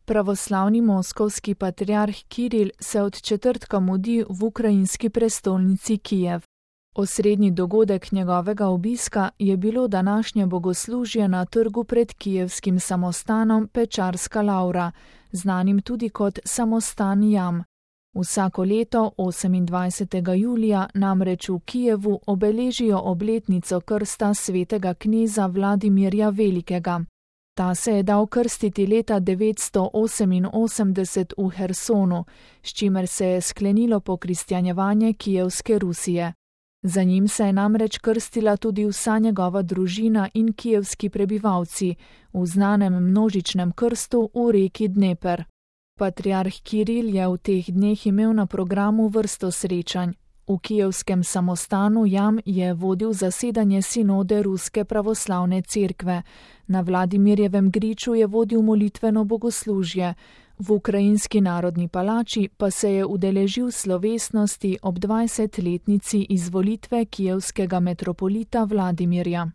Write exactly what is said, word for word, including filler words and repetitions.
Pravoslavni moskovski patriarh Kiril se od četrtka mudi v ukrajinski prestolnici Kijev. Osrednji dogodek njegovega obiska je bilo današnje bogoslužje na trgu pred kijevskim samostanom Pečarska Lavra, znanim tudi kot samostan Jam. Vsako leto osemindvajsetega julija namreč v Kijevu obeležijo obletnico krsta svetega kneza Vladimirja Velikega. Ta se je dal krstiti leta devetsto oseminosemdeset v Hersonu, s čimer se je sklenilo pokristjanjevanje kijevske Rusije. Za njim se je namreč krstila tudi vsa njegova družina in kijevski prebivalci v znanem množičnem krstu v reki Dneper. Patriarh Kiril je v teh dneh imel na programu vrsto srečanj. V kijevskem samostanu Jam je vodil zasedanje sinode Ruske pravoslavne cerkve, na Vladimirjevem griču je vodil molitveno bogoslužje, v ukrajinski narodni palači pa se je udeležil slovesnosti ob dvajsetletnici izvolitve kijevskega metropolita Vladimirja.